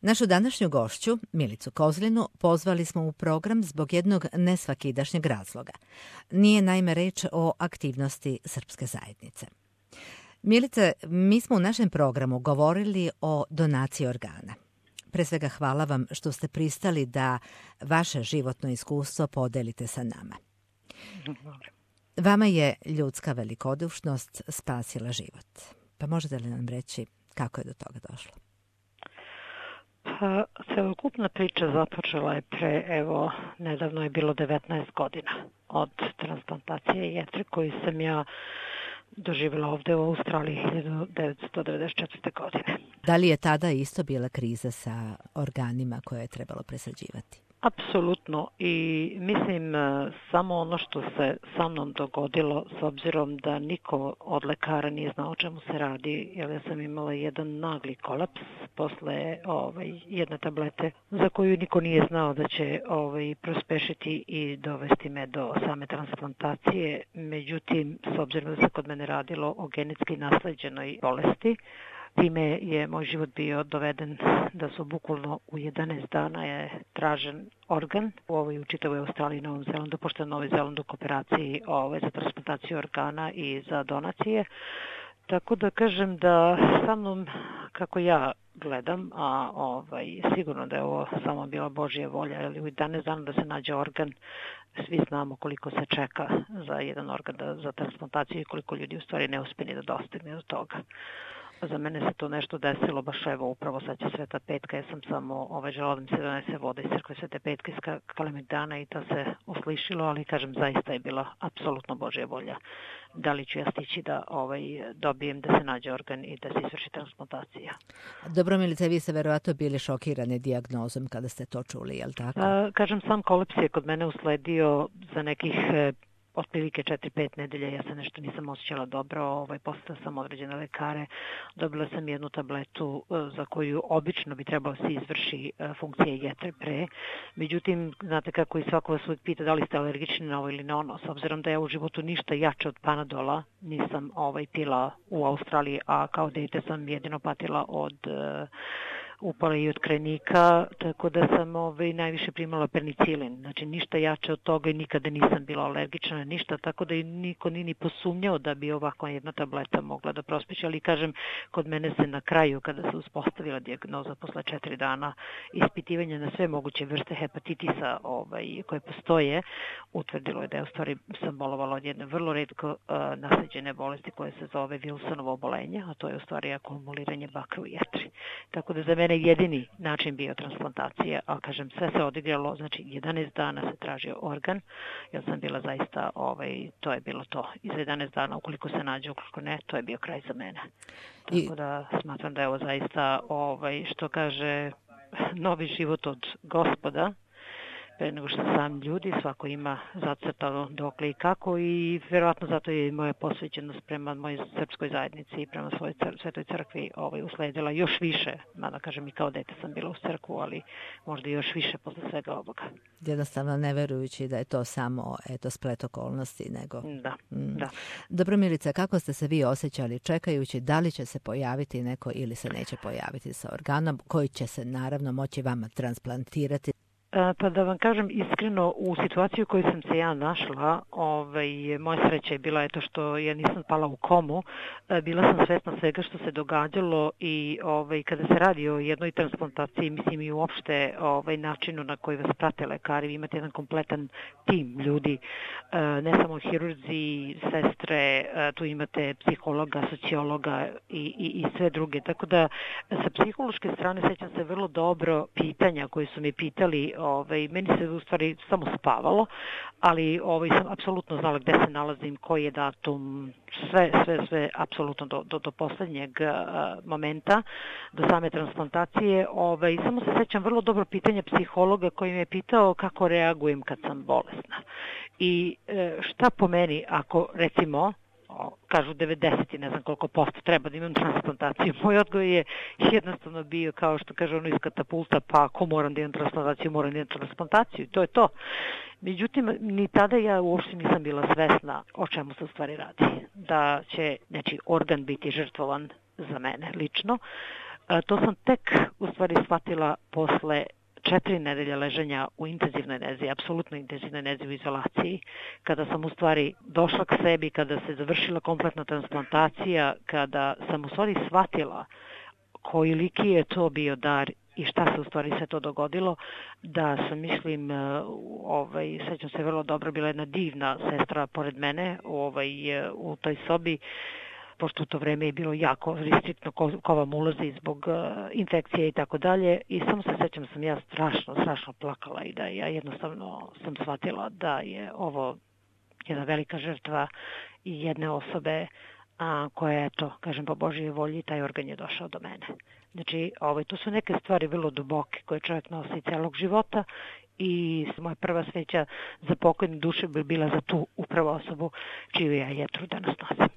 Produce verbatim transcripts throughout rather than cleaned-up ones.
Našu današnju gošću, Milicu Kozlinu, pozvali smo u program zbog jednog nesvakidašnjeg razloga. Nije naime reč o aktivnosti srpske zajednice. Milice, mi smo u našem programu govorili o donaciji organa. Pre svega hvala vam što ste pristali da vaše životno iskustvo podelite sa nama. Vama je ljudska velikodušnost spasila život. Pa možete li nam reći kako je do toga došlo? Pa, celokupna priča započela je pre, evo, nedavno je bilo devetnaest godina od transplantacije jetre koju sam ja doživjela ovde u Australiji hiljadu devetsto devedeset četvrte. godine. Da li je tada isto bila kriza sa organima koje je trebalo presađivati? Apsolutno, i mislim samo ono što se sa mnom dogodilo, s obzirom da niko od lekara nije znao o čemu se radi, jer ja sam imala jedan nagli kolaps posle ovaj, jedne tablete za koju niko nije znao da će ovaj, prospešiti i dovesti me do same transplantacije. Međutim, s obzirom da se kod mene radilo o genetski nasleđenoj bolesti, time je moj život bio doveden da su bukvalno u jedanaest dana je tražen organ u ovoj u čitavoj Australiji i Novom Zelandu, pošto je Novi Zeland u kooperaciji ovaj, za transplantaciju organa i za donacije. Tako da kažem da sa mnom, kako ja gledam, a ovaj, sigurno da je ovo samo bila Božja volja, ali u jedanaest dana da se nađe organ, svi znamo koliko se čeka za jedan organ da, za transplantaciju i koliko ljudi u stvari ne uspije da dostigne do toga. Za mene se to nešto desilo, baš evo upravo sad će Sveta petka, ja sam samo ovaj, želala da mi se donese voda iz crkve Svete petke iz Kalemegdana i to se uslišilo, ali kažem zaista je bila apsolutno Božja volja. Da li ću ja stići da ovaj, dobijem da se nađe organ i da se izvrši transplantacija. Dobro, Milice, vi ste verovatno bili šokirane dijagnozom kada ste to čuli, je li tako? A, kažem, sam kolaps je kod mene usledio za nekih otprilike četiri pet nedelja, ja se nešto nisam osjećala dobro, ovaj, postala sam određene lekare, dobila sam jednu tabletu za koju obično bi trebalo se izvrši funkcija jetre pre, međutim, znate kako i svako vas uvijek pita da li ste alergični na ovo ili na ono, s obzirom da ja u životu ništa jače od Panadola nisam ovaj, pila u Australiji, a kao dete sam jedino patila od upala i od krenika, tako da sam ovaj, najviše primala penicilin. Znači ništa jače od toga i nikada nisam bila alergična na ništa, tako da i niko nije ni posumnjao da bi ovakva jedna tableta mogla da prospeći, ali kažem, kod mene se na kraju, kada se uspostavila dijagnoza posle četiri dana ispitivanja na sve moguće vrste hepatitisa ovaj, koje postoje, utvrdilo je da je u stvari sam bolovala od jedne vrlo retko uh, nasleđene bolesti koje se zove Wilsonovo obolenje, a to je u stvari akumuliranje bakra u jetri. Tako da za mene jedini način bio transplantacija, ali kažem, sve se odigralo, znači jedanaest dana se tražio organ, jer sam bila zaista, ovaj, to je bilo to. I za jedanaest dana, ukoliko se nađe, ukoliko ne, to je bio kraj za mene. Tako I... da smatram da je ovo zaista, ovaj, što kaže, novi život od Gospoda, pre nego što sam ljudi, svako ima zacrtano dokle i kako i vjerojatno zato je moja posvećenost prema mojoj srpskoj zajednici i prema svojoj cr- svetoj crkvi ovaj, usledila još više, mada kažem i kao dete sam bila u crkvu, ali možda još više posle svega ovoga. Jednostavno ne verujući da je to samo eto, splet okolnosti, nego... Da, mm. da. Dobro, Milice, kako ste se vi osjećali čekajući da li će se pojaviti neko ili se neće pojaviti sa organom koji će se naravno moći vama transplantirati? Pa da vam kažem iskreno, u situaciju u kojoj sam se ja našla, ovaj, moja sreća je bila eto što ja nisam pala u komu, bila sam svesna svega što se događalo i ovaj, kada se radi o jednoj transplantaciji, mislim i uopšte ovaj, načinu na koji vas prate lekari, vi imate jedan kompletan tim ljudi, ne samo hirurzi, sestre, tu imate psihologa, sociologa i, i, i sve druge, tako da sa psihološke strane sećam se vrlo dobro pitanja koje su mi pitali. Ovaj, meni se u stvari samo spavalo, ali ovaj, sam apsolutno znala gde se nalazim, koji je datum, sve, sve, sve, apsolutno do, do, do poslednjeg uh, momenta, do same transplantacije. Ovaj, samo se sećam vrlo dobro pitanja psihologa koji me je pitao kako reagujem kad sam bolesna. I uh, šta po meni ako, recimo, kažu devedeset i ne znam koliko posto treba da imam transplantaciju. Moj odgovor je jednostavno bio kao što kaže ono iz katapulta, pa ako moram da imam transplantaciju, moram da imam transplantaciju. To je to. Međutim, ni tada ja uopšte nisam bila svesna o čemu se u stvari radi. Da će, znači, organ biti žrtvovan za mene lično. To sam tek u stvari shvatila posle četiri nedelje leženja u intenzivnoj nezi, apsolutno intenzivnoj nezi u izolaciji, kada sam u stvari došla k sebi, kada se završila kompletna transplantacija, kada sam u stvari shvatila koliki je to bio dar i šta se u stvari sve to dogodilo, da sam, mislim, ovaj, sećam se vrlo dobro, bila jedna divna sestra pored mene ovaj, u toj sobi, pošto u to vreme je bilo jako restriktno ko, ko vam ulazi zbog uh, infekcije i tako dalje. I samo se sećam sam ja strašno, strašno plakala i da ja jednostavno sam shvatila da je ovo jedna velika žrtva i jedne osobe a, koja je to, kažem, po Božjoj volji, taj organ je došao do mene. Znači, ovaj, to su neke stvari vrlo duboke koje čovjek nosi celog života i moja prva sveća za pokojnu dušu bi bila za tu upravo osobu čiju ja jetru danas nosim.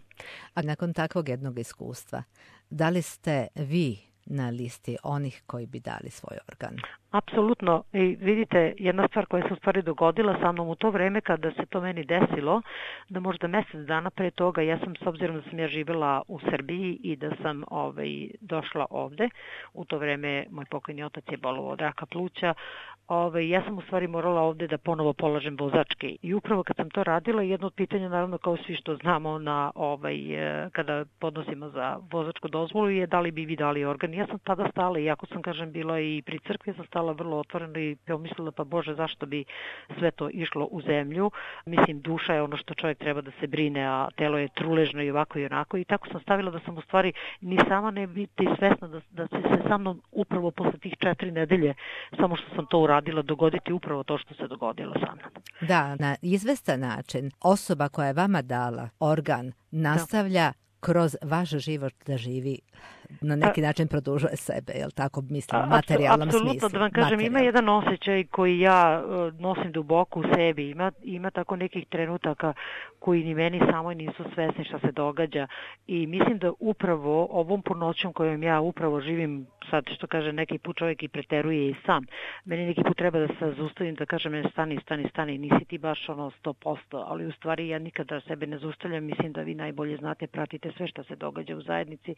A nakon takvog jednog iskustva, da li ste vi na listi onih koji bi dali svoj organ? Apsolutno. I vidite, jedna stvar koja se u stvari dogodila sa mnom u to vreme kada se to meni desilo, da možda mesec dana pre toga, ja sam, s obzirom da sam ja živjela u Srbiji i da sam ovaj, došla ovde, u to vreme moj pokojni otac je bolovao od raka pluća, ovaj, ja sam u stvari morala ovde da ponovo polažem vozačke. I upravo kad sam to radila, jedno od pitanja, naravno kao svi što znamo na, ovaj, kada podnosimo za vozačku dozvolu, je da li bi vi dali organ. Ja sam tada stala, iako sam, kažem, bila i pri crkvi, sam stala vrlo otvoreno i pomislila, pa Bože, zašto bi sve to išlo u zemlju? Mislim, duša je ono što čovjek treba da se brine, a telo je truležno i ovako i onako. I tako sam stavila da sam u stvari ni sama ne biti svesna da, da će se sa mnom upravo posle tih četiri nedelje, samo što sam to uradila, dogoditi upravo to što se dogodilo sa mnom. Da, na izvestan način osoba koja je vama dala organ nastavlja da. kroz vaš život da živi, na neki način produžuje sebe, jel tako, mislim, u materijalnom Apsolutno, smislu. Da vam kažem, Materijal. Ima jedan osjećaj koji ja nosim duboko u sebi, ima, ima tako nekih trenutaka koji ni meni samoj nisu svesni šta se događa i mislim da upravo ovom punoćom kojom ja upravo živim, sad što kaže neki put čovjek i preteruje i sam, meni neki put treba da se zaustavim, da kažem stani, stani, stani, nisi ti baš ono sto posto, ali u stvari ja nikada sebe ne zaustavljam, mislim da vi najbolje znate, pratite sve što se događa u zajednici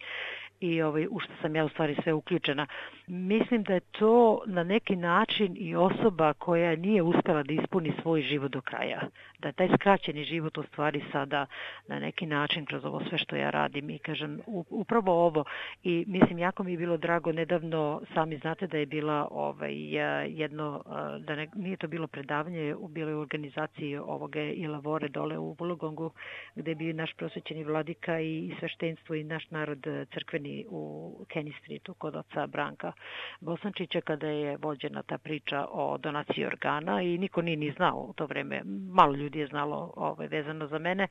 i ovaj, u što sam ja u stvari sve uključena. Mislim da je to na neki način i osoba koja nije uspela da ispuni svoj život do kraja. Da je taj skraćeni život u stvari sada na neki način kroz ovo sve što ja radim i kažem upravo ovo i mislim jako mi je bilo drago nedavno, sami znate da je bila ovaj, jedno, da ne, nije to bilo predavanje, bilo je u organizaciji ovoga i Lavore dole u Vulugongu gde je bio naš prosvećeni vladika i sveštenstvo i naš narod crkveni u Kenny Streetu kod oca Branka Bosančića kada je vođena ta priča o donaciji organa i niko nije ni znao u to vreme, malo ljudi je znalo ovaj, vezano za mene.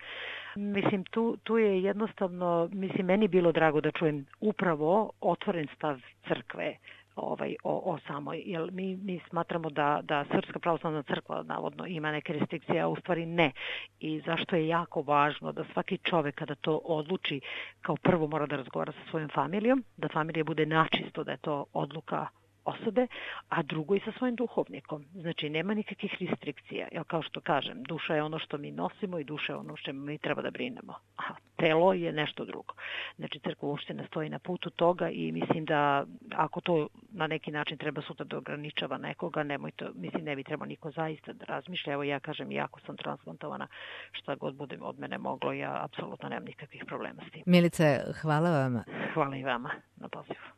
Mislim, tu, tu je jednostavno, mislim, meni bilo drago da čujem upravo otvoren stav crkve ovaj, o, o samoj, jer mi, mi smatramo da, da Srpska pravoslavna crkva navodno ima neke restrikcije, a u stvari ne. I zašto je jako važno da svaki čovek kada to odluči, kao prvo mora da razgovara sa svojom familijom, da familija bude načisto, da je to odluka osobe, a drugo i sa svojim duhovnikom. Znači, nema nikakvih restrikcija. Jer kao što kažem, duša je ono što mi nosimo i duša je ono što mi treba da brinemo. A telo je nešto drugo. Znači, crkva uopšte ne stoji na putu toga i mislim da ako to na neki način treba sutra da ograničava nekoga, nemoj to, mislim, ne bi trebao niko zaista da razmišlja. Evo ja kažem, iako sam transplantovana, šta god bude od mene moglo, ja apsolutno nemam nikakvih problema s tim. Milice, hvala vam. Hvala i vama na pozivu.